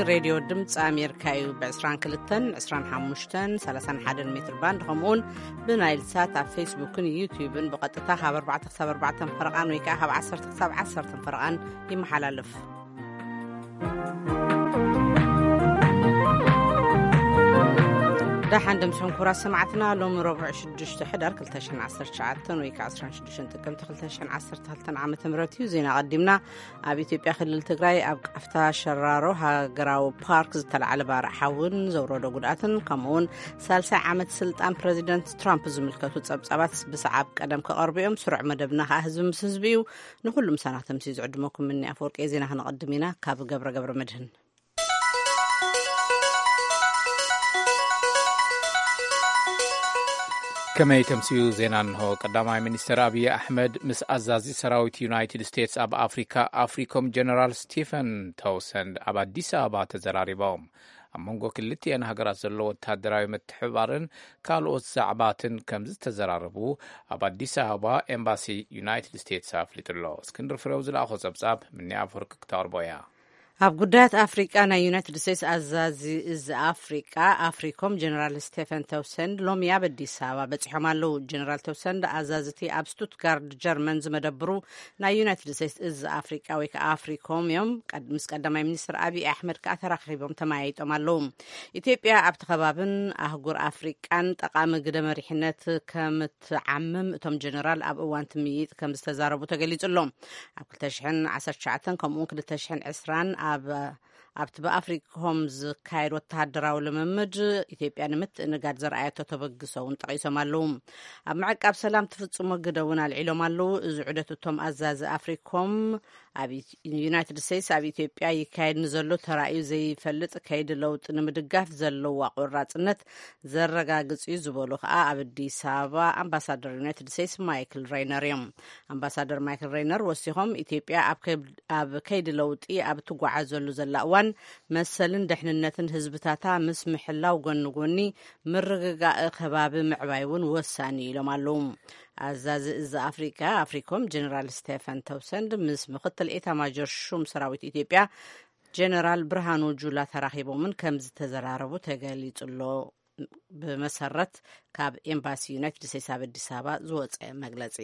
ሬድዮ ድምፂ ኣሜሪካ እዩ። ብ22፣ 25፣ 31 ሜትር ባንድ፣ ከምኡውን ብናይል ሳት ኣብ ፌስቡክን ዩቲዩብን ብቐጥታ ካብ ኣርባዕተ ክሳብ ኣርባዕተ ፈረቓን ወይ ከዓ ካብ ዓሰርተ ክሳብ ዓሰርተ ፈረቓን ይመሓላለፍ። ደሓን ደምስኩም ክቡራት ሰማዕትና፣ ሎሚ ረቡዕ ሽዱሽተ ሕዳር ክልተ ሽሕን ዓሰርተ ትሽዓተን ወይ ከዓ ዕስራን ሽዱሽተን ጥቅምቲ ክልተ ሽሕን ዓሰርተ ክልተን ዓመተ ምህረት እዩ። ዜና ቀዲምና። ኣብ ኢትዮጵያ ክልል ትግራይ ኣብ ቃፍታ ሸራሮ ሃገራዊ ፓርክ ዝተላዕለ ባርዕ ሓውን ዘውረዶ ጉድኣትን ከምኡውን ሳልሳይ ዓመት ስልጣን ፕረዚደንት ትራምፕ ዝምልከቱ ጸብጻባት ብሰዓብ ቀደም ክቐርቡ እዮም። ስሩዕ መደብና ከዓ ህዝቢ ምስ ህዝቢ እዩ። ንኹሉ ምሳና ተምሲ ዝዕድመኩም ምኒ ኣፈወርቂ። ዜና ክነቐድም ኢና። ካብ ገብረ ገብረ መድህን። ከመይ ተምስዩ ዜና እንሆ። ቀዳማይ ሚኒስትር ኣብይ ኣሕመድ ምስ ኣዛዚ ሰራዊት ዩናይትድ ስቴትስ ኣብ ኣፍሪካ ኣፍሪኮም ጀነራል ስቲፈን ተውሰንድ ኣብ ኣዲስ ኣበባ ተዘራሪቦም። ኣብ መንጎ ክልቲኤን ሃገራት ዘሎ ወታደራዊ ምትሕብባርን ካልኦት ዛዕባትን ከም ዝተዘራረቡ ኣብ ኣዲስ ኣበባ ኤምባሲ ዩናይትድ ስቴትስ ኣፍሊጡ ኣሎ። እስክንድር ፍሬው ዝለኣኾ ጸብጻብ ምኒ ኣፈወርቂ ክተቕርቦ እያ። ኣብ ጉዳያት ኣፍሪቃ ናይ ዩናይትድ ስቴትስ ኣዛዚ እዚ ኣፍሪቃ ኣፍሪኮም ጀነራል ስቴፈን ተውሰንድ ሎሚ ኣብ ኣዲስ ኣበባ በጺሖም ኣለዉ። ጀነራል ተውሰንድ ኣዛዝቲ ኣብ ስቱትጋርድ ጀርመን ዝመደብሩ ናይ ዩናይትድ ስቴትስ እዚ ኣፍሪቃ ወይ ከዓ ኣፍሪኮም እዮም። ቀድ- ምስ ቀዳማይ ሚኒስትር ኣብይ ኣሕመድ ከዓ ተራኺቦም ተመያይጦም ኣለዉ። ኢትዮጵያ ኣብቲ ከባብን ኣህጉር ኣፍሪቃን ጠቓሚ ግደ መሪሕነት ከም ትዓምም እቶም ጀነራል ኣብ እዋን ትምይጥ ከም ዝተዛረቡ ተገሊጹ ኣሎ። ኣብ ክልተ ሽሕን ዓሰርተ ትሽዓተን ከምኡውን ክልተ ሽሕን ዕስራን ኣብ ኣብቲ ብኣፍሪኮም ዝካየድ ወተሃደራዊ ልምምድ ኢትዮጵያ ንምትእንጋድ ዘርኣየቶ ተበግሶ እውን ጠቒሶም ኣለዉ። ኣብ ምዕቃብ ሰላም ትፍጽሞ ግደ እውን ኣልዒሎም ኣለዉ። እዚ ዑደት እቶም ኣዛዚ ኣፍሪኮም ኣብ ዩናይትድ ስቴትስ ኣብ ኢትዮጵያ ይካየድ ንዘሎ ተራእዩ ዘይፈልጥ ከይዲ ለውጢ ንምድጋፍ ዘለዋ ቆራጽነት ዘረጋግጽ እዩ ዝበሉ ከዓ ኣብ ኣዲስ ኣበባ ኣምባሳደር ዩናይትድ ስቴትስ ማይክል ሬይነር እዮም። ኣምባሳደር ማይክል ሬይነር ወሲኾም ኢትዮጵያ ኣብ ከብ- ኣብ ከይዲ ለውጢ ኣብ ትጓዓዘሉ ዘላ እዋን መሰልን ደሕንነትን ህዝብታታ ምስ ምሕላው ጎኒ ጎኒ ምርግጋእ ከባቢ ምዕባይ እውን ወሳኒ ኢሎም ኣለዉ። ኣዛዚ እዚ ኣፍሪካ ኣፍሪኮም ጀነራል ስቴፈን ተውሰንድ ምስ ምክትል ኤታማጆር ሹም ሰራዊት ኢትዮጵያ ጀነራል ብርሃኑ ጁላ ተራኺቦምን ከም ዝተዘራረቡ ተገሊጹ ኣሎ። ብመሰረት ካብ ኤምባሲ ዩናይትድ ስቴትስ ኣብ ኣዲስ ኣበባ ዝወፀ መግለፂ።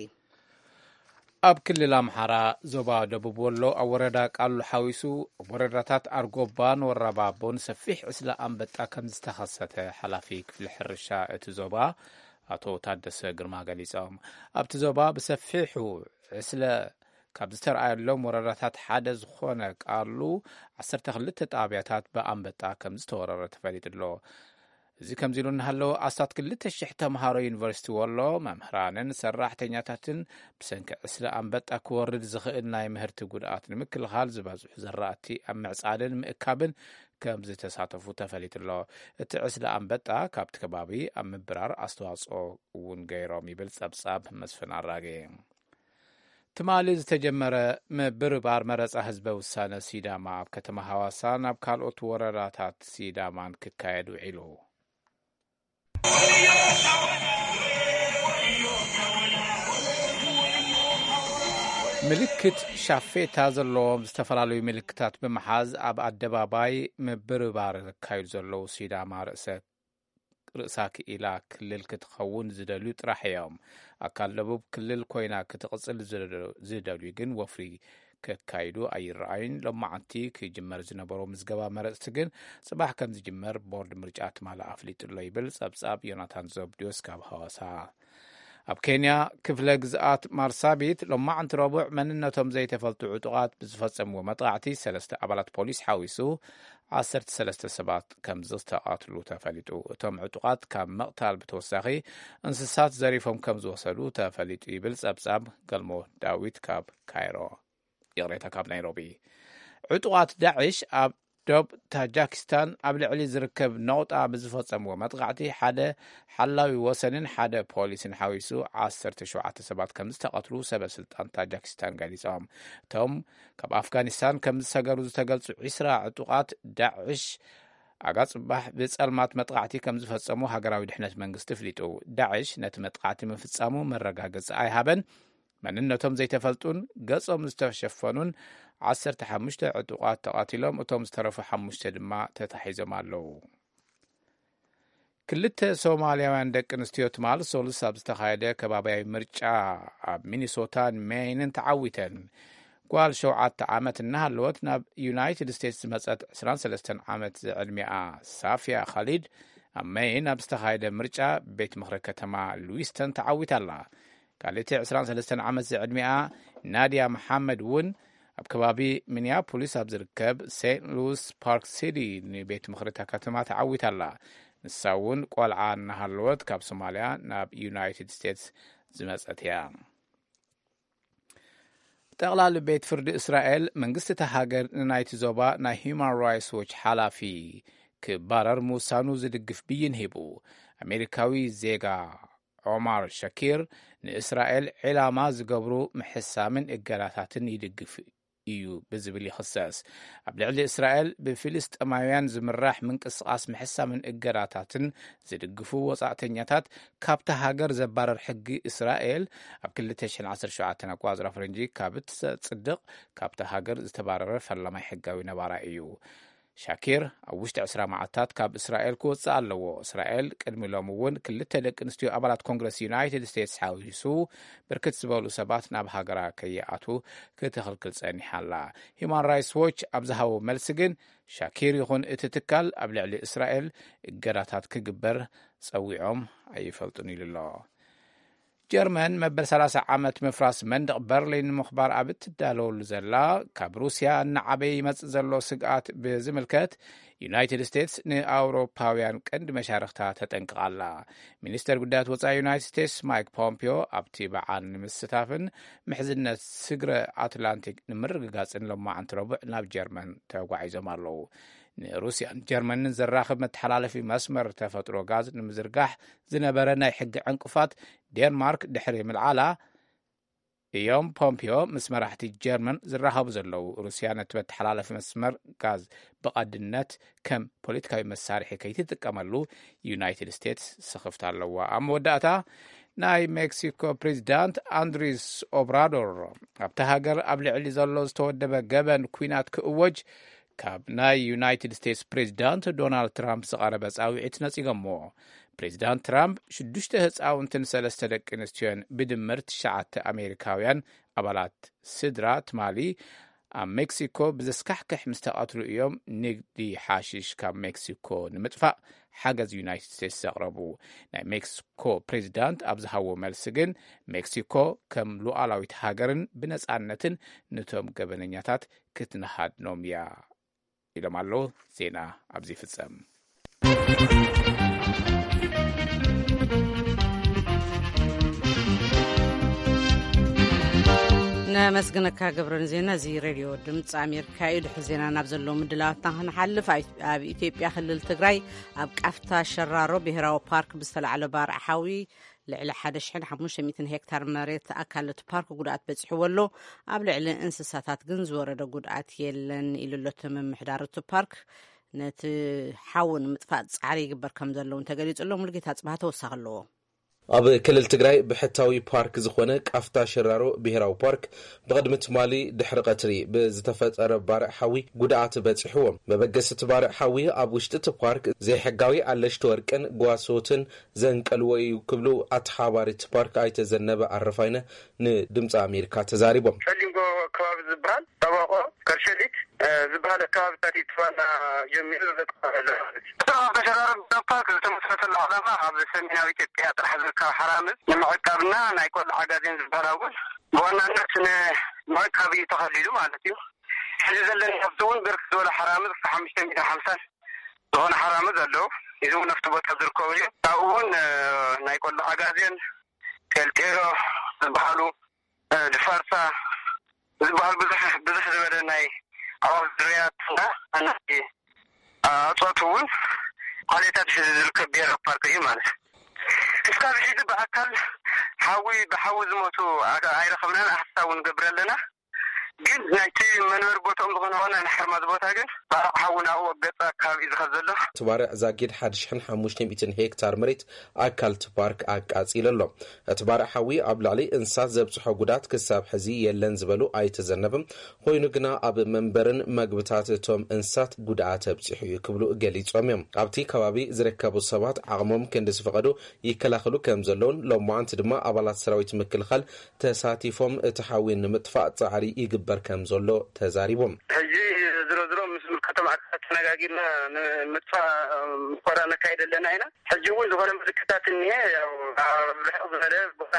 ኣብ ክልል ኣምሓራ ዞባ ደቡብ ወሎ ኣብ ወረዳ ቃሉ ሓዊሱ ኣብ ወረዳታት ኣርጎባን ወራባቦን ሰፊሕ ዕስለ ኣንበጣ ከም ዝተኸሰተ ሓላፊ ክፍሊ ሕርሻ እቲ ዞባ ኣቶ ታደሰ ግርማ ገሊጾም። ኣብቲ ዞባ ብሰፊሑ ዕስለ ካብ ዝተረኣየሎም ወረዳታት ሓደ ዝኾነ ቃሉ ዓሰርተ ክልተ ጣብያታት ብኣንበጣ ከም ዝተወረረ ተፈሊጡ ኣሎ። እዚ ከምዚ ኢሉ እናሃለወ ኣስታት ክልተ ሽሕ ተምሃሮ ዩኒቨርሲቲ ወሎ መምህራንን ሰራሕተኛታትን ብሰንኪ ዕስለ ኣንበጣ ክወርድ ዝኽእል ናይ ምህርቲ ጉድኣት ንምክልኻል ዝበዝሑ ዘራእቲ ኣብ ምዕፃድን ምእካብን ከም ዝተሳተፉ ተፈሊጡ ኣሎ። እቲ ዕስለ ኣንበጣ ካብቲ ከባቢ ኣብ ምብራር ኣስተዋፅኦ እውን ገይሮም ይብል ፀብፃብ መስፍን ኣራጌ። ትማሊ ዝተጀመረ ምብርባር መረፃ ህዝበ ውሳነ ሲዳማ ኣብ ከተማ ሃዋሳ ናብ ካልኦት ወረዳታት ሲዳማን ክካየድ ውዒሉ። ምልክት ሻፌታ ዘለዎም ዝተፈላለዩ ምልክታት ብምሓዝ ኣብ ኣደባባይ ምብርባር ዘካይዱ ዘለዉ ሲዳማ ርእሰ ርእሳ ክኢላ ክልል ክትኸውን ዝደልዩ ጥራሕ እዮም። ኣካል ደቡብ ክልል ኮይና ክትቕጽል ዝደልዩ ግን ወፍሪ ከካይዱ ኣይረኣዩን። ሎማዓንቲ ክጅመር ዝነበሮ ምዝገባ መረፅቲ ግን ፅባሕ ከም ዝጅመር ቦርድ ምርጫ ትማሊ ኣፍሊጡ ኣሎ ይብል ፀብፃብ ዮናታን ዘብድዮስ ካብ ሃዋሳ። ኣብ ኬንያ ክፍለ ግዝኣት ማርሳቢት ሎማዓንቲ ረቡዕ መንነቶም ዘይተፈልጡ ዕጡቓት ብዝፈጸምዎ መጥቓዕቲ ሰለስተ ኣባላት ፖሊስ ሓዊሱ ዓሰርተ ሰለስተ ሰባት ከም ዝተቐትሉ ተፈሊጡ። እቶም ዕጡቓት ካብ ምቕታል ብተወሳኺ እንስሳት ዘሪፎም ከም ዝወሰዱ ተፈሊጡ ይብል ጸብጻብ ገልሞ ዳዊት ካብ ካይሮ። ይቕሬታ፣ ካብ ናይሮቢ። ዕጡቓት ዳዕሽ ኣብ ዶብ ታጃኪስታን ኣብ ልዕሊ ዝርከብ ነቑጣ ብዝፈጸምዎ መጥቓዕቲ ሓደ ሓላዊ ወሰንን ሓደ ፖሊስን ሓዊሱ ዓሰርተ ሸውዓተ ሰባት ከም ዝተቐትሉ ሰበ ስልጣን ታጃኪስታን ገሊጾም። እቶም ካብ ኣፍጋኒስታን ከም ዝሰገሩ ዝተገልጹ ዒስራ ዕጡቓት ዳዕሽ ኣጋ ጽባሕ ብጸልማት መጥቓዕቲ ከም ዝፈጸሙ ሃገራዊ ድሕነት መንግስቲ ኣፍሊጡ። ዳዕሽ ነቲ መጥቓዕቲ ምፍጻሙ መረጋገጺ ኣይሃበን። መንነቶም ዘይተፈልጡን ገጾም ዝተሸፈኑን ዓሰርተ ሓሙሽተ ዕጡቓት ተቓቲሎም፣ እቶም ዝተረፉ ሓሙሽተ ድማ ተታሒዞም ኣለዉ። ክልተ ሶማልያውያን ደቂ ኣንስትዮ ትማል ሶሉስ ኣብ ዝተኻየደ ከባብያዊ ምርጫ ኣብ ሚኒሶታን ሜይንን ተዓዊተን። ጓል ሸውዓተ ዓመት እናሃለወት ናብ ዩናይትድ ስቴትስ ዝመጸት ዕስራን ሰለስተን ዓመት ዝዕድሚኣ ሳፊያ ኻሊድ ኣብ ሜይን ኣብ ዝተኻየደ ምርጫ ቤት ምኽሪ ከተማ ሉዊስተን ተዓዊታ ኣላ። ካልእቲ ዕስራን ሰለስተን ዓመት ዝዕድሚኣ ናድያ መሓመድ እውን ኣብ ከባቢ ሚኒያፖሊስ ኣብ ዝርከብ ሴንት ሉዊስ ፓርክ ሲቲ ንቤት ምኽሪ እታ ከተማ ተዓዊታ ኣላ። ንሳ እውን ቆልዓ እናሃለወት ካብ ሶማልያ ናብ ዩናይትድ ስቴትስ ዝመጸት እያ። ጠቕላሊ ቤት ፍርዲ እስራኤል መንግስቲ እታ ሃገር ንናይቲ ዞባ ናይ ሂዩማን ራይትስ ዎች ሓላፊ ክባረር ምውሳኑ ዝድግፍ ብይን ሂቡ። ኣሜሪካዊ ዜጋ ኦማር ሸኪር ንእስራኤል ዒላማ ዝገብሩ ምሕሳምን እገዳታትን ይድግፍ እዩ ብዝብል ይኽሰስ። ኣብ ልዕሊ እስራኤል ብፊልስጤማውያን ዝምራሕ ምንቅስቓስ ምሕሳምን እገዳታትን ዝድግፉ ወጻእተኛታት ካብታ ሃገር ዘባረር ሕጊ እስራኤል ኣብ ክልተ ሽሕን ዓሰርተ ሸውዓተን ኣቋጽራ ፈረንጂ ካብ እትጸድቕ ካብታ ሃገር ዝተባረረ ፈላማይ ሕጋዊ ነባራይ እዩ። ሻኪር ኣብ ውሽጢ ዕስራ መዓልታት ካብ እስራኤል ክወጽእ ኣለዎ። እስራኤል ቅድሚ ሎሚ እውን ክልተ ደቂ ኣንስትዮ ኣባላት ኮንግረስ ዩናይትድ ስቴትስ ሓዊሱ ብርክት ዝበሉ ሰባት ናብ ሃገራ ከይኣቱ ክትኽልክል ጸኒሓ ኣላ። ሂዩማን ራይትስ ዎች ኣብ ዝሃቦ መልሲ ግን ሻኪር ይኹን እቲ ትካል ኣብ ልዕሊ እስራኤል እገዳታት ክግበር ጸዊዖም ኣይፈልጡን ኢሉ ኣሎ። ጀርመን መበል ሰላሳ ዓመት ምፍራስ መንደቕ በርሊን ንምኽባር ኣብ እትዳለወሉ ዘላ፣ ካብ ሩስያ እናዓበየ ይመጽእ ዘሎ ስግኣት ብዝምልከት ዩናይትድ ስቴትስ ንኣውሮፓውያን ቀንዲ መሻርኽታ ተጠንቅቕ ኣላ። ሚኒስተር ጉዳያት ወጻኢ ዩናይትድ ስቴትስ ማይክ ፖምፒዮ ኣብቲ በዓል ንምስታፍን ምሕዝነት ስግረ ኣትላንቲክ ንምርግጋጽን ሎማዕንቲ ረቡዕ ናብ ጀርመን ተጓዒዞም ኣለዉ። ንሩስያን ጀርመንን ዘራኽብ መተሓላለፊ መስመር ተፈጥሮ ጋዝ ንምዝርጋሕ ዝነበረ ናይ ሕጊ ዕንቅፋት ዴንማርክ ድሕሪ ምልዓላ እዮም ፖምፒዮ ምስ መራሕቲ ጀርመን ዝራኸቡ ዘለዉ። ሩስያ ነቲ መተሓላለፊ መስመር ጋዝ ብቐድነት ከም ፖለቲካዊ መሳርሒ ከይትጥቀመሉ ዩናይትድ ስቴትስ ስኽፍታ ኣለዋ። ኣብ መወዳእታ ናይ ሜክሲኮ ፕሬዚዳንት ኣንድሪስ ኦብራዶር ኣብቲ ሃገር ኣብ ልዕሊ ዘሎ ዝተወደበ ገበን ኲናት ክእወጅ ካብ ናይ ዩናይትድ ስቴትስ ፕሬዚዳንት ዶናልድ ትራምፕ ዝቐረበ ጻውዒት ነጺጎሞ። ፕሬዚዳንት ትራምፕ ሽዱሽተ ህጻውንትን ሰለስተ ደቂ ኣንስትዮን ብድምር ትሽዓተ ኣሜሪካውያን ኣባላት ስድራ ትማሊ ኣብ ሜክሲኮ ብዘስካሕክሕ ምስ ተቐትሉ እዮም ንግዲ ሓሽሽ ካብ ሜክሲኮ ንምጥፋእ ሓገዝ ዩናይትድ ስቴትስ ዘቕረቡ። ናይ ሜክሲኮ ፕሬዚዳንት ኣብ ዝሃቦ መልሲ ግን ሜክሲኮ ከም ሉዓላዊት ሃገርን ብነጻነትን ነቶም ገበነኛታት ክትንሃድኖም እያ ኢሎም ኣለዉ። ዜና ኣብዚ ይፍጸም። ነመስግነካ ገብረ ንዜና እዚ ሬድዮ ድምፂ ኣሜሪካ እዩ። ድሕሪ ዜና ናብ ዘለዉ ምድላዋትና ክንሓልፍ፣ ኣብ ኢትዮጵያ ክልል ትግራይ ኣብ ቃፍታ ሸራሮ ብሄራዊ ፓርክ ብዝተላዕለ ባርዕ ሓዊ ልዕሊ ሓደ ሽሕን ሓሙሽተ ሚእትን ሄክታር መሬት ኣካል እቲ ፓርክ ጉድኣት በፂሕዎ ኣሎ። ኣብ ልዕሊ እንስሳታት ግን ዝወረደ ጉድኣት የለን ኢሉ ኣሎ እቲ ምምሕዳር እቲ ፓርክ። ነቲ ሓዊ ንምጥፋእ ፃዕሪ ይግበር ከም ዘሎ እውን ተገሊፁ ኣሎ። ሙሉጌታ ፅባህ ተወሳኺ ኣለዎ። ኣብ ክልል ትግራይ ብሕታዊ ፓርክ ዝኾነ ቃፍታ ሸራሮ ብሄራዊ ፓርክ ብቕድሚ ትማሊ ድሕሪ ቀትሪ ብዝተፈጠረ ባርዕ ሓዊ ጉድኣት በፂሕዎም። መበገሲ እቲ ባርዕ ሓዊ ኣብ ውሽጢ እቲ ፓርክ ዘይሕጋዊ ኣለሽቲ ወርቅን ጓሶትን ዘንቀልዎ እዩ ክብሉ ኣተሓባሪ እቲ ፓርክ ኣይተ ዘነበ ኣረፋይነ ንድምፂ ኣሜሪካ ተዛሪቦም። ጸሊም ጎቦ ከባቢ ዝበሃል ጠበቆ ከርሸሊት እ፣ ዝበሃል ከባብታት እዩ። ትማና ጀሚሩ ዘጥፋእ ዘሎ ማለት እዩ። እቲ ኣብ ተሸራረብ ፓርክ ዝተመስረተሉ ዓላማ ኣብ ሰሜናዊ ኢትዮጵያ ጥራሕ ዝርከብ ሓራምዝ ንምዕቃብና ናይ ቆልዓ ኣጋዜን ዝበሃል እውን ብዋናነት ንምዕቃብ እዩ ተኸሊሉ ማለት እዩ። ሕዚ ዘለና ሃብቲ እውን ብርክት ዝበለ ሓራምዝ ክሳብ ሓሙሽተ ሚእትን ሓምሳን ዝኾነ ሓራምዝ ኣለዉ። እዚ እውን ኣብቲ ቦታ ዝርከቡ እዮም። ካብኡ እውን እ፣ ናይ ቆልዓ ኣጋዜን ጤልጤሎ ዝበሃሉ እ፣ ድፋርሳ ዝበሃል ብዙሕ፣ ብዙሕ ዝበለ ናይ ኣዕዋፍ ዝርያት እና ናይ ኣፅዋት እውን ዓሌታት ዝርከብ ብሄራዊ ፓርክ እዩ ማለት እዩ። እስካብ ሕዚ ብኣካል ሓዊ፣ ብሓዊ ዝሞቱ ኣካ-፣ ኣይረኸብናን፣ ኣሃስታ እውን ንገብር ኣለና። ግን ናይቲ መንበሪ ቦታኦም ዝኾነ ዋና ናይ ሓርማዝ ቦታ ግን ባርዕ ሓዊ ናብኡ ኣብ ገጻ ከባቢ እዩ ዝኸድ ዘሎ። እቲ ባርዕ ዛጊድ ሓደ ሽሕን ሓሙሽተ ሚእትን ሄክታር መሬት ኣካል እቲ ፓርክ ኣቃጺሉ ኣሎ። እቲ ባርዕ ሓዊ ኣብ ልዕሊ እንስሳት ዘብጽሖ ጉድኣት ክሳብ ሕዚ የለን ዝበሉ ኣይተ ዘነበ፣ ኮይኑ ግና ኣብ መንበርን መግብታት እቶም እንስሳት ጉድኣት ኣብጺሑ እዩ ክብሉ ገሊጾም እዮም። ኣብቲ ከባቢ ዝርከቡ ሰባት ዓቕሞም ክንዲ ዝፈቐዶ ይከላኸሉ ከም ዘለውን፣ ሎማዓንቲ ድማ ኣባላት ሰራዊት ምክልኻል ተሳቲፎም እቲ ሓዊ ንምጥፋእ ጻዕሪ ይግበር ከም ዘሎ ተዛሪቦም። ሕጂ ዝሮ ዝሮ ምስ ዝምልከቶም ኣካላት ተነጋጊርና ንምጥፋእ ምኮራ ነካይድ ኣለና ኢና። ሕጂ እውን ዝኾነ ምልክታት እኒሀ። ያው ኣብ ርሕቕ ዝበለ ቦታ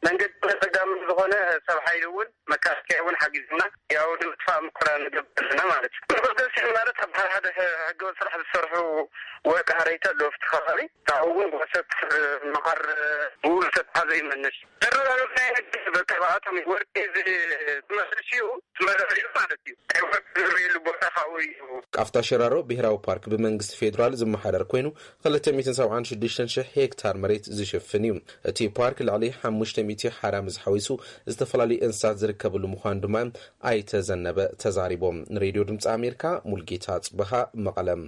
መንገዲ ጸጋም ዝኾነ ሰብ ሓይሊ እውን መከላከያ እውን ሓጊዙና። ያው ንምጥፋእ ምኮራ ንገብር ኣለና ማለት እዩ። መበገሲ ማለት ኣብ ሓደ ሓደ ሕገወጥ ስራሕ ዝሰርሑ ወቂ ሃረይቲ ኣለዉ ኣብቲ ከባቢ። ካብኡ እውን ወሰት መኸር ብኡ ዝተትሓዘ ይመንሽ። ዘረጋግጽ ናይ ንግዲ በቃ ብኣቶም እዩ። ወርቂ እዚ ትመልሽ እዩ፣ ትመልሽ እዩ ማለት እዩ። ናይ ወርቂ ዝርየሉ ቦታ ካብኡ እዩ። ቃፍታ ሽራሮ ብሄራዊ ፓርክ ብመንግስቲ ፌዴራል ዝመሓደር ኮይኑ፣ ክልተ ሚእትን ሰብዓን ሽዱሽተን ሽሕ ሄክታር መሬት ዝሽፍን እዩ። እቲ ፓርክ ልዕሊ ሓሙሽተ ሚእቲ ሓራ ምስ ሓዊሱ ዝተፈላለዩ እንስሳት ዝርከብሉ ምዃኑ ድማ ኣይተ ዘነበ ተዛሪቦም። ንሬድዮ ድምፂ ኣሜሪካ ሙልጌታ ጽበሃ መቐለም።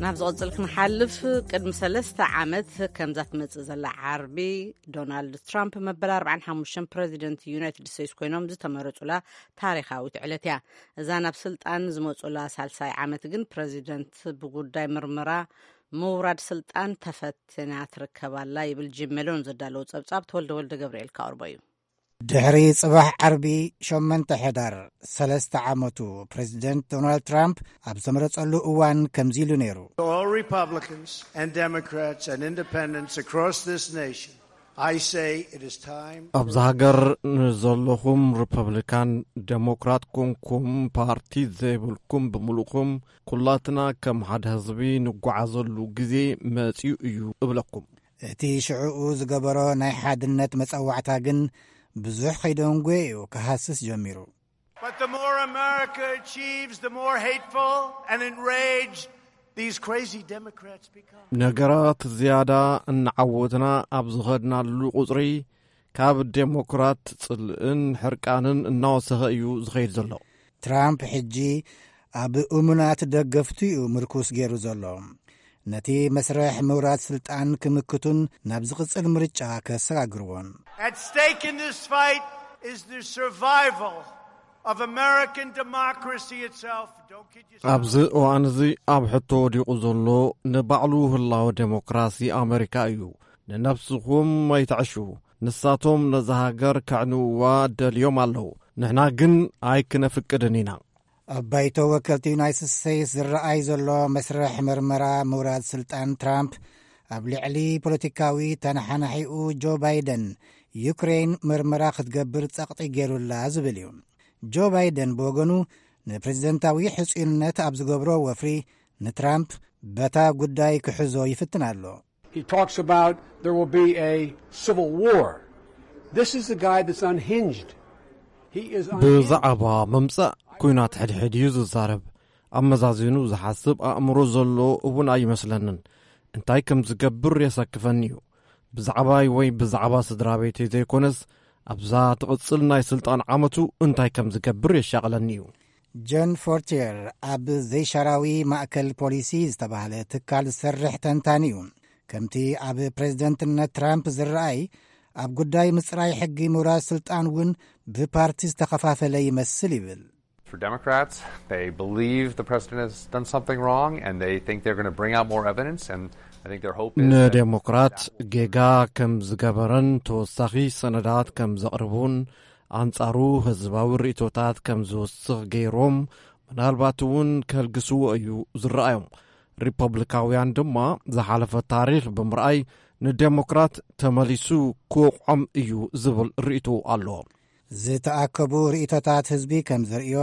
ናብ ዝቕጽል ክንሓልፍ፣ ቅድሚ ሰለስተ ዓመት ከምዛ ትመጽእ ዘላ ዓርቢ፣ ዶናልድ ትራምፕ መበል ኣርባዓን ሓሙሽተን ፕረዚደንት ዩናይትድ ስቴትስ ኮይኖም ዝተመረጹላ ታሪኻዊት ዕለት እያ። እዛ ናብ ስልጣን ዝመጹላ ሳልሳይ ዓመት ግን ፕረዚደንት ብጉዳይ ምርመራ ምውራድ ስልጣን ተፈትና ትርከባላ ይብል ጂም ሜሎን ዘዳለዉ ጸብጻብ። ተወልደ ወልደ ገብርኤል ካኦርቦ እዩ። ድሕሪ ጽባሕ ዓርቢ ሸሞንተ ሕዳር ሰለስተ ዓመቱ፣ ፕረዚደንት ዶናልድ ትራምፕ ኣብ ዝተመረጸሉ እዋን ከምዚ ኢሉ ነይሩ። All Republicans and Democrats and independents across this nation, I say it is time. ኣብዚ ሃገር ንዘለኹም ሪፐብሊካን ዴሞክራት ኮንኩም ፓርቲ ዘይብልኩም ብምሉእኹም፣ ኩላትና ከም ሓደ ህዝቢ ንጓዓዘሉ ግዜ መጺኡ እዩ እብለኩም። እቲ ሽዕኡ ዝገበሮ ናይ ሓድነት መጸዋዕታ ግን ብዙሕ ከይደንጎየ እዩ ክሃስስ ጀሚሩ። But the more America achieves, the more hateful and enraged these crazy Democrats become. ነገራት ዝያዳ እናዓወትና ኣብ ዝኸድናሉ ቁጽሪ፣ ካብ ዴሞክራት ጽልእን ሕርቃንን እናወሰኸ እዩ ዝኸይድ ዘሎ። ትራምፕ ሕጂ ኣብ እሙናት ደገፍቱ እዩ ምርኩስ ገይሩ ዘሎ። ነቲ መስርሕ ምውራድ ስልጣን ክምክቱን ናብ ዝቕጽል ምርጫ ከሰጋግርዎን። At stake in this fight is the survival of American democracy itself. Don't kid yourself. ኣብዚ እዋን እዚ ኣብ ሕቶ ወዲቑ ዘሎ ንባዕሉ ህላወ ዴሞክራሲ ኣመሪካ እዩ። ንነብስኹም ኣይትዕሹ። ንሳቶም ነዛ ሃገር ከዕንውዋ ደልዮም ኣለዉ። ንሕና ግን ኣይክነፍቅድን ኢና። ኣብ ባይቶ ወከልቲ ዩናይትድ ስቴትስ ዝረኣይ ዘሎ መስርሕ መርመራ ምውራድ ስልጣን ትራምፕ፣ ኣብ ልዕሊ ፖለቲካዊ ተነሓናሒኡ ጆ ባይደን፣ ዩክሬን መርመራ ክትገብር ጸቕጢ ገይሩላ ዝብል እዩ። ጆ ባይደን ብወገኑ፣ ንፕሬዝደንታዊ ሕጹይነት ኣብ ዝገብሮ ወፍሪ፣ ንትራምፕ በታ ጉዳይ ክሕዞ ይፍትን ኣሎ። He talks about there will be a civil war. This is the guy that's unhinged. He is unhinged. ብዛዕባ ምምጻእ ኲናት ሕድሕድ እዩ ዝዛረብ። ኣመዛዚኑ ዝሓስብ ኣእምሮ ዘሎ እውን ኣይመስለንን። እንታይ ከም ዝገብር የሰክፈኒ እዩ። ብዛዕባይ ወይ ብዛዕባ ስድራ ቤተይ ዘይኮነስ፣ ኣብዛ ትቕጽል ናይ ስልጣን ዓመቱ እንታይ ከም ዝገብር የሻቕለኒ እዩ። ጆን ፎርቲየር ኣብ ዘይሻራዊ ማእከል ፖሊሲ ዝተባህለ ትካል ዝሰርሕ ተንታኒ እዩ። ከምቲ ኣብ ፕሬዝደንትነት ትራምፕ ዝረኣይ፣ ኣብ ጉዳይ ምጽራይ ሕጊ ምውራድ ስልጣን እውን ብፓርቲ ዝተኸፋፈለ ይመስል ይብል። For Democrats, they believe the president has done something wrong and they think they're going to bring out more evidence, and I think their hope is that ንዴሞክራት ጌጋ ከም ዝገበረን ተወሳኺ ሰነዳት ከም ዘቕርቡን ኣንጻሩ ህዝባዊ ርእይቶታት ከም ዝውስኽ ገይሮም ምናልባት እውን ከልግስዎ እዩ ዝረኣዮም። ሪፐብሊካውያን ድማ ዝሓለፈ ታሪኽ ብምርኣይ ንዴሞክራት ተመሊሱ ክወቕዖም እዩ ዝብል ርእይቶ ኣሎ። ዝተኣከቡ ርእይቶታት ህዝቢ ከም ዘርእዮ፣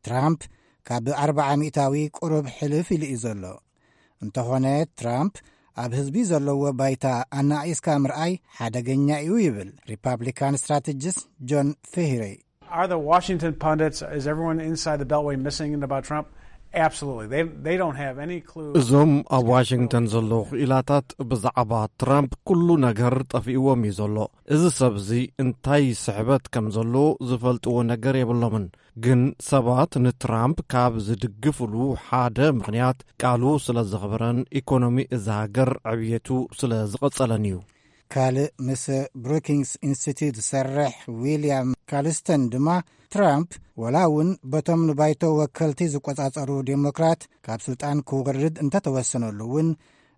ትራምፕ ካብ ኣርብዓ ሚእታዊ ቁሩብ ሕልፍ ኢሉ እዩ ዘሎ። እንተኾነ፣ ትራምፕ ኣብ ህዝቢ ዘለዎ ባይታ ኣናቒስካ ምርኣይ ሓደገኛ እዩ ይብል ሪፓብሊካን ስትራቴጂስት ጆን ፌሂሪ። Are the Washington pundits, is everyone inside the Beltway missing about Trump? Absolutely. They, they don't have any clue. እዞም ኣብ ዋሽንግተን ዘለዉ ክኢላታት ብዛዕባ ትራምፕ ኩሉ ነገር ጠፊእዎም እዩ ዘሎ። እዚ ሰብ እዚ እንታይ ስሕበት ከም ዘለዎ ዝፈልጥዎ ነገር የብሎምን። ግን ሰባት ንትራምፕ ካብ ዝድግፍሉ ሓደ ምኽንያት ቃሉ ስለ ዘኽበረን ኢኮኖሚ እዛ ሃገር ዕብየቱ ስለ ዝቐጸለን እዩ። ካልእ ምስ ብሩኪንግስ ኢንስቲትዩት ዝሰርሕ ዊልያም ካልስተን ድማ ትራምፕ ወላ እውን በቶም ንባይቶ ወከልቲ ዝቆጻጸሩ ዴሞክራት ካብ ስልጣን ክወርድ እንተተወሰነሉ እውን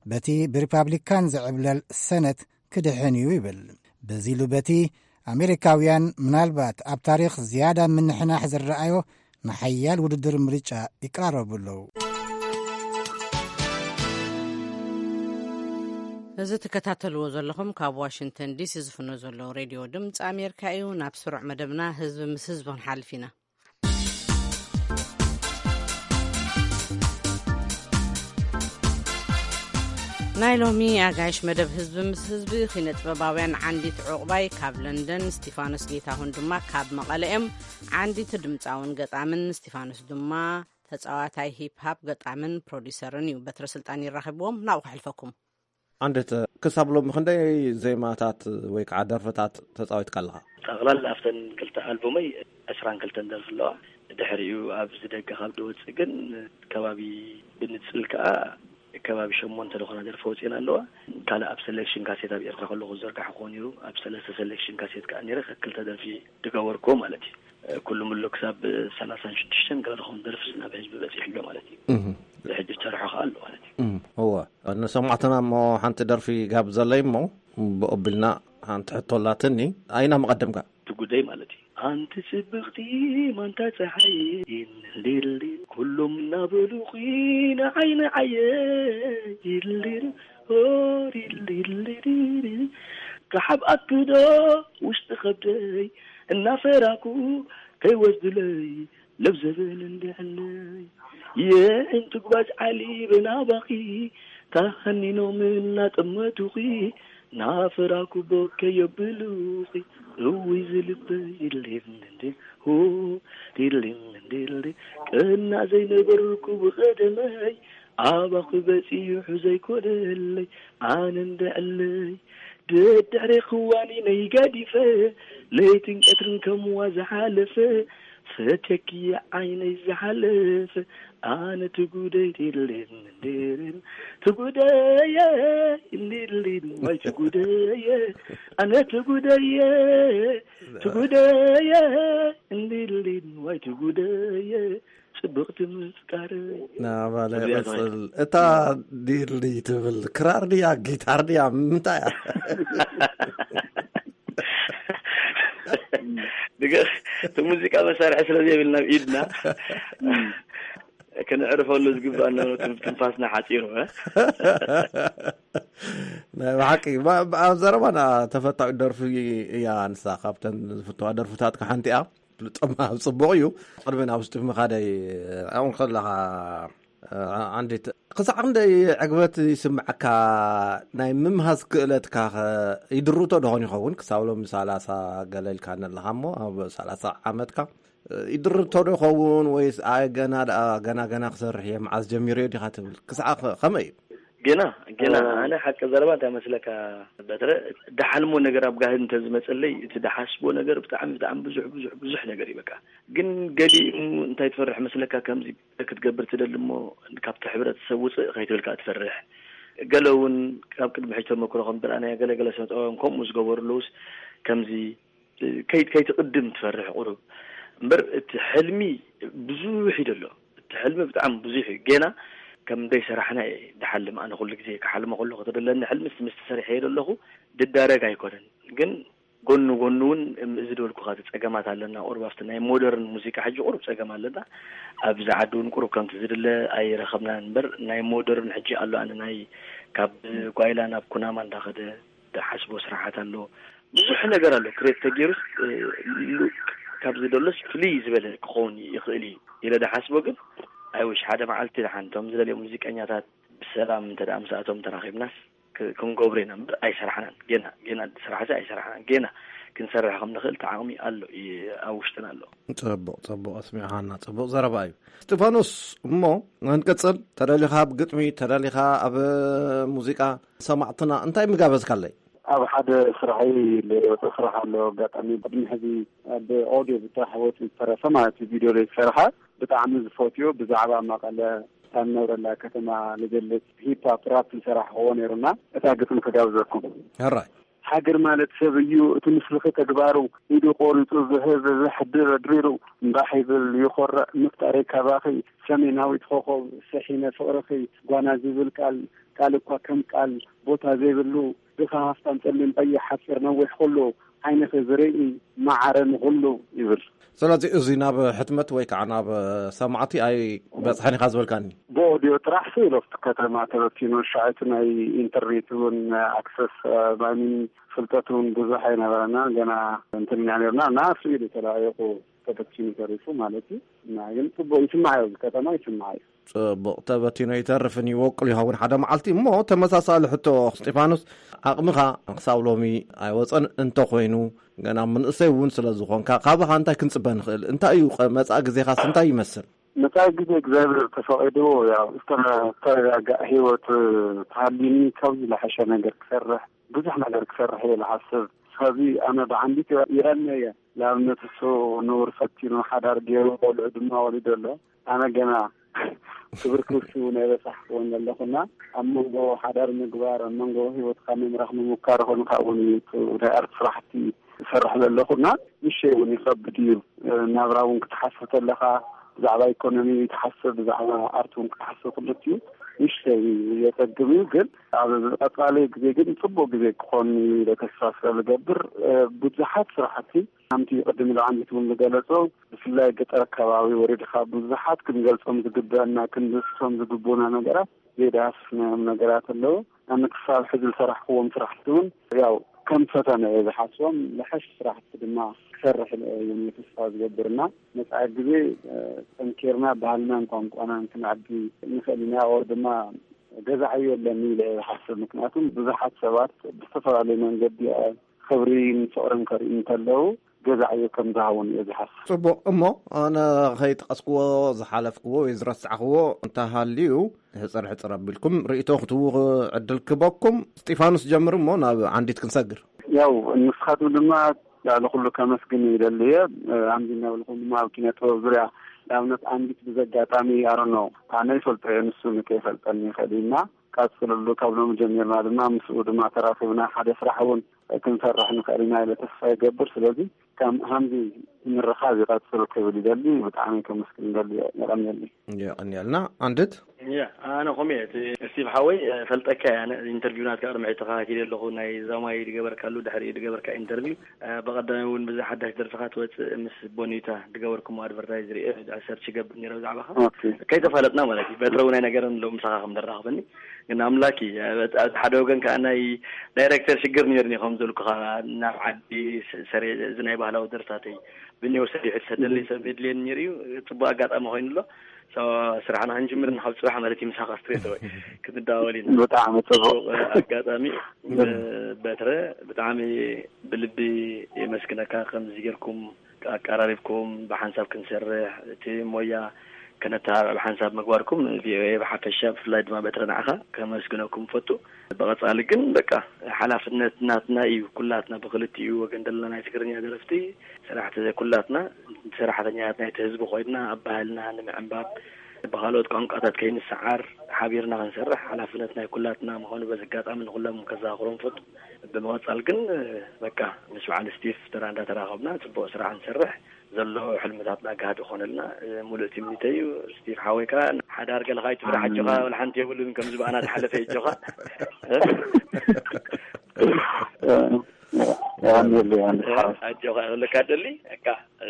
በቲ ብሪፓብሊካን ዝዕብለል ሰነት ክድሕን እዩ ይብል። በዚ ኢሉ በቲ ኣሜሪካውያን ምናልባት ኣብ ታሪኽ ዝያዳ ምንሕናሕ ዝረኣዮ ንሓያል ውድድር ምርጫ ይቀራረቡ ኣለዉ። እዚ ትከታተልዎ ዘለኹም ካብ ዋሽንግተን ዲሲ ዝፍኖ ዘሎ ሬድዮ ድምፂ ኣሜሪካ እዩ። ናብ ስሩዕ መደብና ህዝቢ ምስ ህዝቢ ክንሓልፍ ኢና። ናይ ሎሚ ኣጋይሽ መደብ ህዝቢ ምስ ህዝቢ ኪነ ጥበባውያን ዓንዲት ዑቕባይ ካብ ለንደን፣ ስቲፋኖስ ጌታሁን ድማ ካብ መቐለ እዮም። ዓንዲት ድምፃውን ገጣምን ስቲፋኖስ ድማ ተፃዋታይ ሂፕ ሃፕ ገጣምን ፕሮዲሰርን እዩ። በትረ ስልጣን ይራኸብዎም ናብኡ ከሕልፈኩም። ዓንዲት፣ ክሳብ ሎሚ ክንደይ ዜማታት ወይ ከዓ ደርፍታት ተፃዊትካ ኣለኻ? ጠቕላላ ኣብተን ክልተ ኣልቡመይ ዕስራን ክልተን ደርፊ ኣለዋ። ድሕሪኡ ኣብዚ ደገ ካብ ድወፅእ ግን ከባቢ ብንፅል ከዓ ከባቢ ሸሞንተ ዝኾና ደርፊ ወፂኤን ኣለዋ። ካልእ ኣብ ሰሌክሽን ካሴት ኣብ ኤርትራ ከለኹ ዝዘርጋሕኩዎ ነይሩ። ኣብ ሰለስተ ሰሌክሽን ካሴት ከዓ ነይረ ክልተ ደርፊ ድገበርኩዎ ማለት እዩ። ኩሉ ምሉ ክሳብ ሰላሳን ሽዱሽተን ገለ ዝኾኑ ደርፊ ናብ ህዝቢ በፂሑ ኣሎ ማለት እዩ። እህ። ብሕጂ ዝሰርሖ ከዓ ኣሎ ማለት እዩ። እህ። እወ፣ ንሰማዕትና እሞ ሓንቲ ደርፊ ጋብዘለይ እሞ ብኦቢልና ሓንቲ ሕቶ ኣላትኒ። ኣይና መቐደምካ? ትጉደይ ማለት እዩ። ኣንቲ ጽብቕቲ ማንታ ጸሓይ፣ ዲልዲል፣ ኩሎም እናበሉኺ ንዓይ ንዓየ፣ ዲልዲል፣ ኦ፣ ዲልዲል፣ ዲልዲል። ክሓብኣኪ ዶ ውሽጢ ከብደይ እናፈራኩ ከይወስድለይ ለብዘበን እንድዕነይ። የዒንቲ ጓዝ ዓሊበ ናባኺ ተሃኒኖም እናጠመቱኺ ናፈራኩ ቦከ የብሉኺ። እውይ ዝልበይ ዲሊም እንዴ ሆ ዲሊም እንዴ ቀና ዘይነበርኩ ብቐደመይ ኣባኺ በጺሑ ዘይኮነለይ ኣነ እንድዕለይ። ደድሕሪ ክዋኒ ነይ ገዲፈ ለይትን ቀትርን ከምዋ ዝሓለፈ ፈትየኪ ዓይነይ ዝሓለፈ ኣነ ትጉደይ ዲሊም እንዴ ትጉደየ እንዲሊን ዋይ ትጉደየ ኣነ ትጉደየ ትጉደየ እንዲሊን ዋይ ትጉደየ ጽብቕቲ ምፍቃረይ። ናባለ እዚኣ ቀጽል። እታ ዲሊ ትብል ክራር ድያ ጊታር ድያ ምንታይ እያ? ድገ እቲ ሙዚቃ መሳርሒ ስለ ዘይብልና ኣብ ኢድና እም። ክንዕርፈሉ ዝግባእ ነበረ ትንፋስና ሓፂሩ። ናይ ብሓቂ ባ- ባ- ኣብ ዘረባና ተፈታዊት ደርፊ እያ። ንሳ ካብተን ዝፍተዋ ደርፍታትካ ሓንቲ እያ። ብጣዕሚ ጽቡቕ እዩ። ቅድሚ ናብ ውሽጢ ምኻደይ ኣብኡ ከለኻ ዓንዲት ክሳዕ ክንደይ ዕግበት ይስምዓካ? ናይ ምምሃዝ ክእለትካ ኸ ይድርቶ ደኾን ይኸውን? ክሳብ ሎም ሰላሳ ገለ ኢልካ ኣለኻ እሞ ኣብ ሰላሳ ዓመትካ ይድርቶ ዶ ይኸውን ወይስ ኣይ ገና ደኣ ገና ገና ክሰርሕ እየ መዓዝ ጀሚረዮ ዲኻ ትብል? ክሳዕ ከ- ከመይ እዩ? ገና ገና ኣነ ሓቂ ዘረባ እንታይ መስለካ በትረ፣ ደሓልሞ ነገር ኣብ ጋህድ እንተዝመፀለይ እቲ ደሓስቦ ነገር ብጣዕሚ ብጣዕሚ ብዙሕ ብዙሕ ብዙሕ ነገር እዩ። በቃ ግን ገሊኡ እንታይ ትፈርሕ መስለካ ከምዚ ክትገብር ትደሊ እሞ ካብቲ ሕብረተሰብ ውፅእ ከይትብል ከዓ ትፈርሕ። ገለ እውን ካብ ቅድሚ ሕጂ ተመክሮ ከም ብርኣናዮ ገለ ገለ ስነ ጥበባውያን ከምኡ ዝገበሩ ኣለውስ ከምዚ ከይ- ከይትቕድም ትፈርሕ ቁሩብ እምበር እቲ ሕልሚ ብዙሕ እዩ ደሎ። እቲ ሕልሚ ብጣዕሚ ብዙሕ እዩ። ገና ከም ደይ ሰራሕና እየ ድሓልም ኣነ ኩሉ ግዜ ክሓልሞ ከለኹ ተደለኒ ሕልሚ ምስ ተሰሪሐ እየ ደለኹ ድዳረግ ኣይኮነን ግን ጎኑ ጎኑ እውን እዚ ዝበልኩኻ እቲ ፀገማት ኣለና። ቁሩብ ኣብቲ ናይ ሞደርን ሙዚቃ ሕጂ ቁሩብ ፀገም ኣለና። ኣብዚ ዓዲ እውን ቁሩብ ከምቲ ዝድለ ኣይረኸብናን እምበር ናይ ሞደርን ሕጂ ኣሎ ኣነ ናይ ካብ ጓይላ ናብ ኩናማ እንዳኸደ ዝሓስቦ ስራሓት ኣሎ። ብዙሕ ነገር ኣሎ ክሬት ተገይሩስ ካብ ዝደሎስ ፍልይ ዝበለ ክኸውን ይኽእል እዩ ኢለ ዝሓስቦ ግን ኣይውሽ ሓደ መዓልቲ ደሓን እቶም ዝደልዮ ሙዚቀኛታት ብሰላም እንተ ደኣ ምስኣቶም ተራኺብናስ ክ-፣ ክንገብሮ ኢና እምበር ኣይሰራሕናን። ጌና፣ ጌና ስራሕ እዚ ኣይሰራሕናን። ጌና ክንሰርሕ ከም ንኽእል እቲ ዓቕሚ ኣሎ፣ ይ-፣ ኣብ ውሽጥና ኣሎ። ጽቡቕ፣ ጽቡቕ ኣስሚዕኻና። ጽቡቕ ዘረባ እዩ። እስጢፋኖስ፣ እሞ ክንቅጽል፣ ተደሊኻ ኣብ ግጥሚ፣ ተደሊኻ ኣብ ሙዚቃ፣ ሰማዕትና እንታይ ምጋበዝካለይ? ኣብ ሓደ ስራሐይ ለወጠ ስራሕ ኣሎ። ኣጋጣሚ ቅድሚ ሕዚ ኣብ ኦዲዮ ብጥራሕ ወፂኡ ዝተረፈ ማለት እዩ። ቪድዮ ለይተሰርሐ ብጣዕሚ ዝፈትዮ ብዛዕባ መቐለ እታ ንነብረላ ከተማ ዝገልጽ ሂፕ ሆፕ ራፕ ዝሰራሕኽዎ ነይሩና። እታ ግጥሚ ክጋብዘኩም። ሕራይ። ሃገር ማለት ሰብ እዩ፣ እቲ ምስልኺ ተግባሩ፣ ኢዱ ቆሪጹ ዝህብ፣ ዘሕድር ድሪሩ፣ እምባሕ ይብል ይኾርዕ፣ ምፍጣረይ ካባኺ፣ ሰሜናዊት ኾኾብ፣ ስሒነ ፍቕርኺ፣ ጓና ዝብል ቃል፣ ቃል እኳ ከም ቃል፣ ቦታ ዘይብሉ፣ ድኻ ሃፍታም፣ ጸሊም ቀይሕ፣ ሓጺር ነዊሕ፣ ኩሉ ዓይንኺ ዝርኢ፣ መዓረ ንኹሉ ይብል። ስለዚ እዚ ናብ ሕትመት ወይ ከዓ ናብ ሰማዕቲ ኣይበጽሐን ኢኻ ዝበልካኒ? ብኦዲዮ ጥራሕ ሲ ኢሉ ኣብቲ ከተማ ተበቲኑ፣ ሻዕቲ ናይ ኢንተርኔት እውን ኣክሰስ፣ ማይኒን ፍልጠት እውን ብዙሕ ኣይነበረና፣ ገና እንትን ኢና ነርና እና ስኢሉ ተላኢኹ ተበቲኑ ተሪፉ ማለት እዩ። እና ግን ጽቡቕ ይስማዕ እዩ፣ ኣብዚ ከተማ ይስማዕ እዩ። ጽቡቕ ተበቲኖ ይተርፍን ይወቅል ይኸውን ሓደ መዓልቲ። እሞ ተመሳሳሊ ሕቶ እስጢፋኖስ፣ ዓቕምኻ ክሳብ ሎሚ ኣይወጸን እንተኾይኑ፣ ገና መንእሰይ እውን ስለ ዝኾንካ፣ ካባኻ እንታይ ክንጽበ ንኽእል? እንታይ እዩ ቀ-፣ መጻኢ ግዜኻስ እንታይ ይመስል? መጻኢ ግዜ እግዚኣብሔር ተፈቒድዎ፣ ያው ዝተረጋጋእ ህይወት ተሃልዩኒ ካብዚ ዝለሐሸ ነገር ክሰርሕ፣ ብዙሕ ነገር ክሰርሕ እየ ዝሓስብ። ስለዚ ኣነ ብዓንዲት ይቐንየ እየ። ንኣብነት እሱ ንቡር ፈቲኑ ሓዳር ገይሩ ቆልዑ ድማ ወሊዱ ኣሎ። ኣነ ገና ክብር ክብርሲ እውን ኣይበጻሕኩዎን ዘለኹና ኣብ መንጎ ሓዳር ምግባር፣ ኣብ መንጎ ህይወትካ ምምራሕ ምሙካር ኾንካ እውን እዩ እቲ ናይ ኣርት ስራሕቲ ዝሰርሕ ዘለኹና። ንሸይ እውን ይኸብድ እዩ። ናብራ እውን ክትሓስብ ተለኻ ብዛዕባ ኢኮኖሚ ትሓስብ፣ ብዛዕባ ኣርት እውን ክትሓስብ ክልቲኡ ንሽተይ የጸግም እዩ። ግን ኣብ ቀጻሊ ግዜ ግን ጽቡቕ ግዜ ክኾን እዩ ኢለ ተስፋ ስለ ዝገብር፣ ብዙሓት ስራሕቲ ከምቲ ቅድም ኢሉ ዓንዲት እውን ዝገለጾ፣ ብፍላይ ገጠር ኣከባቢ ወሪድኻ ብዙሓት ክንገልጾም ዝግበአና፣ ክንድስሶም ዝግብኡና ነገራት ዘይዳህስስናዮም ነገራት ኣለዉ። ኣነ ክሳብ ሕዚ ዝሰራሕክዎም ስራሕቲ እውን ያው ከም ፈተነ እየ ዝሓስቦም። ዝሓሽ ስራሕቲ ድማ ክሰርሕ እየ እውን ተስፋ ዝገብርና መጻኢ ግዜ፣ እ፣ ጠንኪርና ባህልናን ቋንቋናን ክነዕቢ ንኽእል ኢና። ኦር ድማ ገዛዓዮ ኣለኒ ኢለ እየ ዝሓስብ። ምክንያቱም ብዙሓት ሰባት ብዝተፈላለየ መንገዲ፣ እ፣ ክብሪን ፍቕርን ከርእዩ እንተለዉ ገዛዕዮ ከም ዝሃቡን እየ ዝሓስብ። ጽቡቕ። እሞ ኣነ ከይጠቐስክዎ ዝሓለፍክዎ ወይ ዝረሳዕክዎ እንተሃልዩ፣ ሕጽር ሕጽር ኣቢልኩም ርእይቶ ክትህቡ ዕድል ክበኩም። እስጢፋኖስ ጀምር እሞ ናብ ዓንዲት ክንሰግር። ያው ንስኻትኩም ድማ ልዕሊ ኩሉ ከመስግን ይደሊ እየ። ኣምዚ እናበልኩም ድማ ኣብ ኪነ ጥበብ ዙርያ ንኣብነት ዓንዲት ብዘጋጣሚ ኣረኖ ኣነ ይፈልጦ እየ፣ ንሱ ንከይፈልጠኒ ይኽእል እዩ እና ቀጽልሉ። ካብ ሎሚ ጀሚርና ድማ ምስኡ ድማ ተራኺብና ሓደ ስራሕ እውን ክንሰርሕ ንኽእል ኢና ኢለ ተስፋ ይገብር። ስለዚ ከም ሃምዚ ምርኻብ ይቐጽል ክብል ይደሊ። ብጣዕሚ ከመስግን ይደሊ። የቐንየልኒ። የቐንየልና። ዓንድት? ያ፣ ኣነ ኾም እየ። እቲ ስቲቭ ሓወይ፣ እ፣ ፈልጠካ እየ። ኣነ ኢንተርቪው ናትካ ቅድሚ ሕጂ ተኸታቲለ ኣለኹ። ናይ ዛማይ ድገበርካሉ፣ ድሕሪ ድገበርካ ኢንተርቪው። እ፣ ብቐዳማይ እውን ብዛ ሓዳሽ ደርፍኻ ትወጽእ ምስ ቦኒታ ድገበርኩሞ ኣድቨርታይዝ ርኤ፣ ሰርች ይገብር ነይረ ብዛዕባኻ። ኦኬ። ከይተፋለጥና ማለት እዩ። በትረ እውን ኣይነገረን ኣለዉ ምሳኻ ከም ደራኽበኒ። ግን ኣምላክ እዩ። ኣብ፣ ኣብ ሓደ ወገን ከዓ ናይ ዳይሬክተር ሽግር ነይሩኒ፣ ከም ዘልኩኻ ናብ ዓዲ ስ-፣ ሰሪ-፣ እዚ ናይ ባህላዊ ደርፍታተይ ብኔው ሰሪሑ ዝሰደለይ ሰብ የድልየኒ ነይሩ እዩ። ጽቡቕ ኣጋጣሚ ኮይኑ ኣሎ። ሶ፣ ስራሕና ክንጅምር ንካብ ጽባሕ ማለት እዩ፣ ምሳኻ ስትሬት ኣወይ ክንደዋወል ኢና። ብጣዕሚ ጽቡቕ። ጽቡቕ ኣጋጣሚ። በትረ፣ ብጣዕሚ ብልቢ የመስግነካ፣ ከምዚ ጌርኩም ኣቀራሪብኩም ብሓንሳብ ክንሰርሕ፣ እቲ ሞያ ከነተባብዕ ብሓንሳብ ምግባርኩም፣ ቪኦኤ ብሓፈሻ ብፍላይ ድማ በትረ ንዓኻ ከመስግነኩም እፈቱ። ብቐጻሊ ግን በቃ ሓላፍነት ናትና እዩ፣ ኩላትና ብክልቲኡ ወገን ዘለና ናይ ትግርኛ ደረፍቲ ሰራሕቲ ኩላትና ሰራሕተኛታት ናይቲ ህዝቢ ኮይንና ኣብ ባህልና ንምዕንባብ ብኻልኦት ቋንቋታት ከይንሰዓር ሓቢርና ክንሰርሕ ሓላፍነት ናይ ኩላትና ምዃኑ በዚ ኣጋጣሚ ንኹሎም ከዘኻኽሮም እፈቱ። ብምቕጻል ግን በቃ ምስ በዓል ስቲፍ ተራ እንዳተራኸብና ጽቡቕ ስራሕ ንሰርሕ። ዘሎ ሕልምታትና ጋህዲ ኾነልና፣ እ፣ ሙሉእ ትምኒተይ እዩ። ስቲቭ ሓወይ ከኣ ሓዳር ገለኻ ኣይትፍራሕ፣ ኣጆኻ፣ ኣሜን። ወላ ሓንቲ የብሉን፣ ከምዚ ብኣና ዝሓለፈ፣ ኣጆኻ። የቐንየለይ፣ ኣሜን። እ፣ ኣጆኻ፣ ክብለካ ደሊ፣ እካ፣ እ፣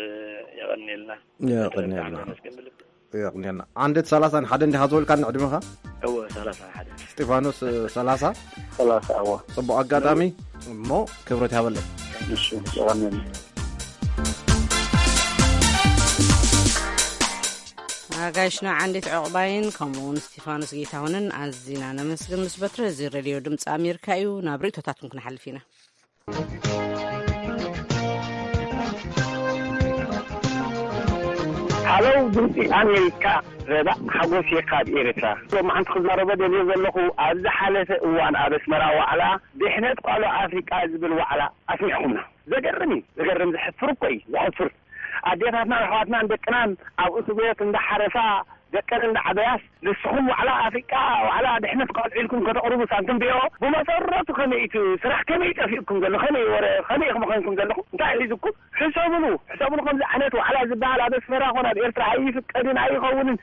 የቐንየልና። የቐንየልና። ብጣዕሚ ነመስግን ብልቢ። የቕንየልና። ዓንደት ሰላሳን ሓደን እንዲኻ ዝበልካኒ ዕድመኻ? እወ፣ ሰላሳን ሓደን። እስጢፋኖስ፣ እ፣ ሰላሳ? ሰላሳ፣ እወ። ጽቡቕ ኣጋጣሚ እሞ ክብረት ይሃበለይ። እሺ፣ የቐንየልና። ኣጋይሽና ዓንዲት ዕቑባይን ከምኡ እውን ስቲፋኖስ ጌታሁንን ኣዚና ነመስግን። ምስ በትረ፣ እዚ ሬድዮ ድምፂ ኣሜሪካ እዩ። ናብ ርእይቶታትኩም ክንሓልፍ ኢና። ሃለው ድምፂ ኣሜሪካ፣ ረዳእ ሓጎስ እየ ካብ ኤርትራ። ሎማዓንቲ ክዛረቦ ደልዮ ዘለኹ፣ ኣብ ዝሓለፈ እዋን ኣብ ኣስመራ ዋዕላ ድሕነት ቋልዑ ኣፍሪቃ ዝብል ዋዕላ ኣስሚዕኹምና። ዘገርም እዩ፣ ዘገርም፣ ዘሕፍር እኮ እዩ፣ ዘሕፍር። ኣዴታትናን ኣሕዋትናን ደቅናን ኣብ እስር ቤት እንዳሓረሳ፣ ደቀን እንዳዓበያስ፣ ንስኹም ዋዕላ ኣፍሪቃ፣ ዋዕላ ድሕነት ቋልዑ ኢልኩም ከተቕርቡ ሳንቲም ቢኦ፣ ብመሰረቱ ከመይ እቲ ስራሕ፣ ከመይ ጠፊእኩም ዘሎ፣ ከመይ ወረ፣ ከመይ ኢኹም ኮይንኩም ዘለኹም? እንታይ ሒዙኩም? ሕሰብሉ፣ ሕሰብሉ። ከምዚ ዓይነት ዋዕላ ዝበሃል ኣብ ኣስመራ ኮነ ኣብ ኤርትራ ኣይፍቀድን፣ ኣይኸውንን።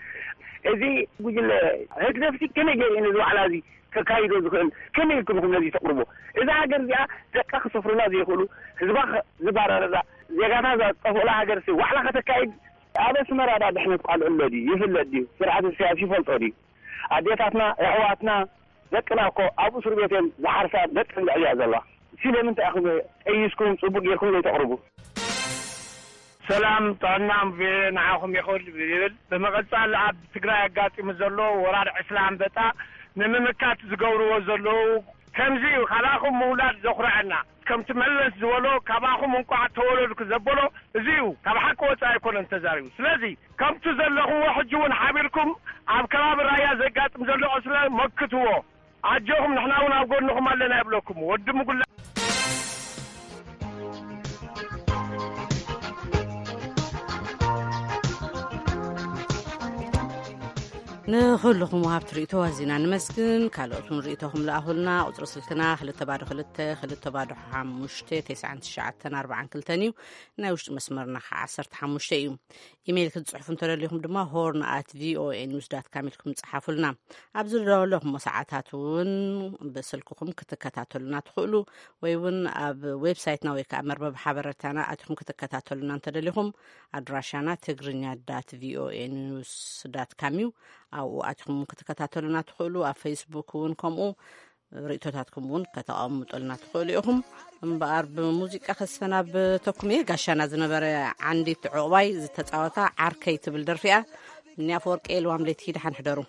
እዚ ጉጅለ ህግደፍሲ ከመይ ገይሩ እዩ ነዚ ዋዕላ እዚ ከካይዶ ዝኽእል? ከመይ ኢልኩም ኢኹም ነዚ ተቕርቦ? እዛ ሃገር እዚኣ ደቃ ክሰፍሩላ ዘይኽእሉ፣ ህዝባ ኸ-፣ ዝባረረላ፣ ዜጋታ ዘጠፍኡላ ሃገር ሲ ዋዕላ ከተካይድ? ኣብ ኣስመራ ዳ ድሕነት ቋልዑ ኣሎ ድዩ? ይፍለጥ ድዩ? ስርዓት ኢሳያስ ይፈልጦ ድዩ? ኣዴታትና፣ ኣሕዋትና፣ ደቅና እኮ ኣብ እስር ቤት እየን ዝሓርሳ፣ ደቀን ዘዕብያ ዘለዋ። ስለምንታይ ኢኹም ጠይስኩም ጽቡቅ ጌርኩም ዘይተቕርቡ? ሰላም ጥዕና ቪኦኤ ንዓኹም ይኹን ይብል። ብምቕጻል ኣብ ትግራይ ኣጋጢሙ ዘሎ ወራር ዕስለ ኣንበጣ ንምምካት ዝገብርዎ ዘለዉ ከምዚ እዩ። ካባኹም ምውላድ ዘኹርዐና። ከምቲ መለስ ዝበሎ፣ ካባኹም እንቋዕ ተወለድኩ ዘበሎ እዚ እዩ። ካብ ሓቂ ወጻኢ ኣይኮነን ተዛሪቡ። ስለዚ ከምቲ ዘለኹምዎ ሕጂ እውን ሓቢርኩም ኣብ ከባቢ ራያ ዘጋጥም ዘሎ ዕስለ መክትዎ። ኣጆኹም፣ ንሕና እውን ኣብ ጎንኹም ኣለና ይብለኩም። ወዲ ምጉላ ንኹልኹም ወሃብቲ ርእይቶ ኣዚና ንመስግን። ካልኦት እውን ርእይቶኹም ለኣኹልና። ቁጽሪ ስልክና ክልተ ባዶ ክልተ፣ ክልተ ባዶ ሓሙሽተ፣ ተስዓን ትሽዓተን ኣርባዓን ክልተን እዩ። ናይ ውሽጢ መስመርና ከዓ ዓሰርተ ሓሙሽተ እዩ። ኢሜይል ክትጽሕፉ እንተደሊኹም ድማ ሆርን ኣት ቪኦኤ ኒውስ ዳት ካም ኢልኩም ጽሓፉልና። ኣብ ዝደለኹሞ ሰዓታት እውን ብስልክኹም ክትከታተሉና ትኽእሉ፣ ወይ እውን ኣብ ዌብሳይትና ወይ ከዓ መርበብ ሓበሬታና ኣቲኹም ክትከታተሉና እንተደሊኹም፣ ኣድራሻና ትግርኛ ዳት ቪኦኤ ኒውስ ዳት ካም እዩ። ኣብኡ ኣቲኹም ክትከታተሉና ትኽእሉ። ኣብ ፌስቡክ እውን ከምኡ። ርእይቶታትኩም እውን ከተቐምጡልና ትኽእሉ ኢኹም። እምበኣር ብሙዚቃ ከስፈና ብተኩም እየ። ጋሻና ዝነበረ ዓንዲት ዕቑባይ ዝተፃወታ ዓርከይ ትብል ደርፊ እያ። እኒ ኣፈወርቂ ልዋም ለይቲ ደሓን ሕደሩ።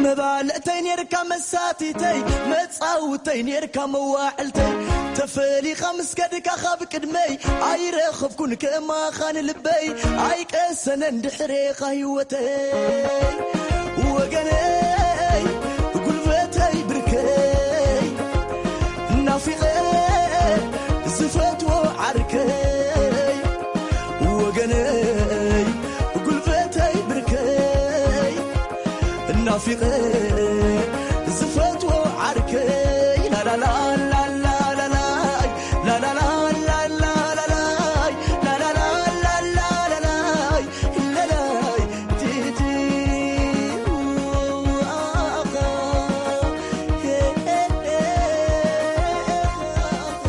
መባልዕተይ ኔርካ መሳቲተይ፣ መጻውተይ ኔርካ መዋዕልተይ፣ ተፈሊኻ ምስ ከድካ ካብ ቅድመይ፣ ኣይረኸብኩን ከማኻ ንልበይ፣ ኣይቀሰነን ድሕሬኻ ህይወተይ። ወገነይ ጉልበተይ ብርከይ፣ ናፊቐ ዝፈትዎ ዓርከይ፣ ወገነይ ጉልበተይ ብርከይ፣ ናፊቐ ዝፈትዎ ዓርከይ፣ ላላላ ላላላላይ፣ ላላላ ላላላላይ፣ ላላላ ላላላላይ፣ ላላይ ቲቲ፣ ኣኻ፣ ሄ፣ ሄ፣ ሄ፣ ኣኻ።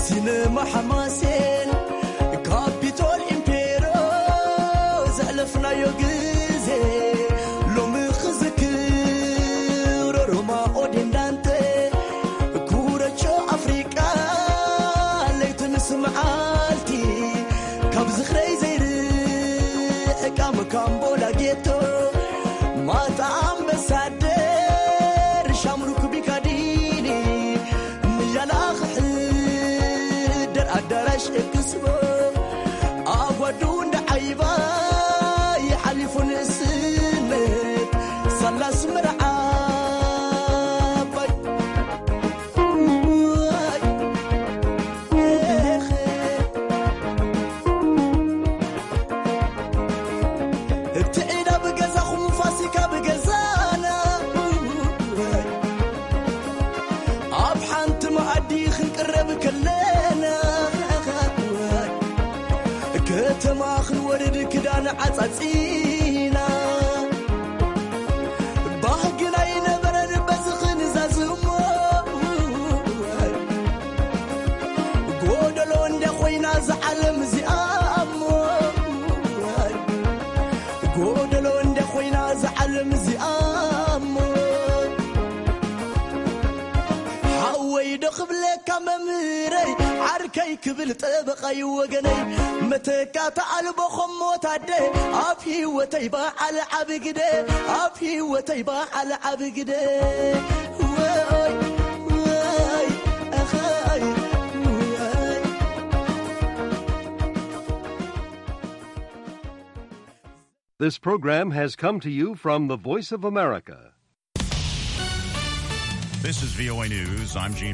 ሲነማ ሓማሴን ካፒቶል ኢምፔሮ ዘሕለፍናዮ ግዜ ሎሚ ክዝክሮ ሮማ ኦዴን ዳንተ ኩረቾ ኣፍሪቃ ለይቲ ምስ መዓልቲ ካብ ዝኽረይ ዘይርሕቃ መካምቦላ ጌቶ ማታ ኣምበሳደር ሻምሩክ ቢካዲኒ ንያላ ክሕደር ኣዳራሽ ኤክስፖ ኣጓዱ እንዳ ዓይባ ይሓሊፉ ንእስነት ሳላ ኣስመራ ዓባይ። እቲ ዒዳ ብገዛኹም ፋሲካ ብገዛና ኣብ ሓንቲ መኣዲ ክንቅረብ ከለና ከተማ ክንወርድ ክዳን ዓጻጺና ባህግና ይነበረን በዚ ክንዛዝሞ ጎደሎ እንደ ኮይና ዝዓለም እዚኣ እሞ ጎደሎ እንደ ኮይና ዝዓለም ክብለካ መምህረይ ዓርከይ ክብል ጠበቓይ ወገነይ መተካእታ ኣልቦ ኸሞ ታደ ኣብ ህይወተይ በዓል ዓቢ ግደ ኣብ ህይወተይ በዓል ዓቢ ግደ ወይ ወይ ኣኸይ ወይ This program has come to you from the Voice of America. This is V O A News. I'm Gene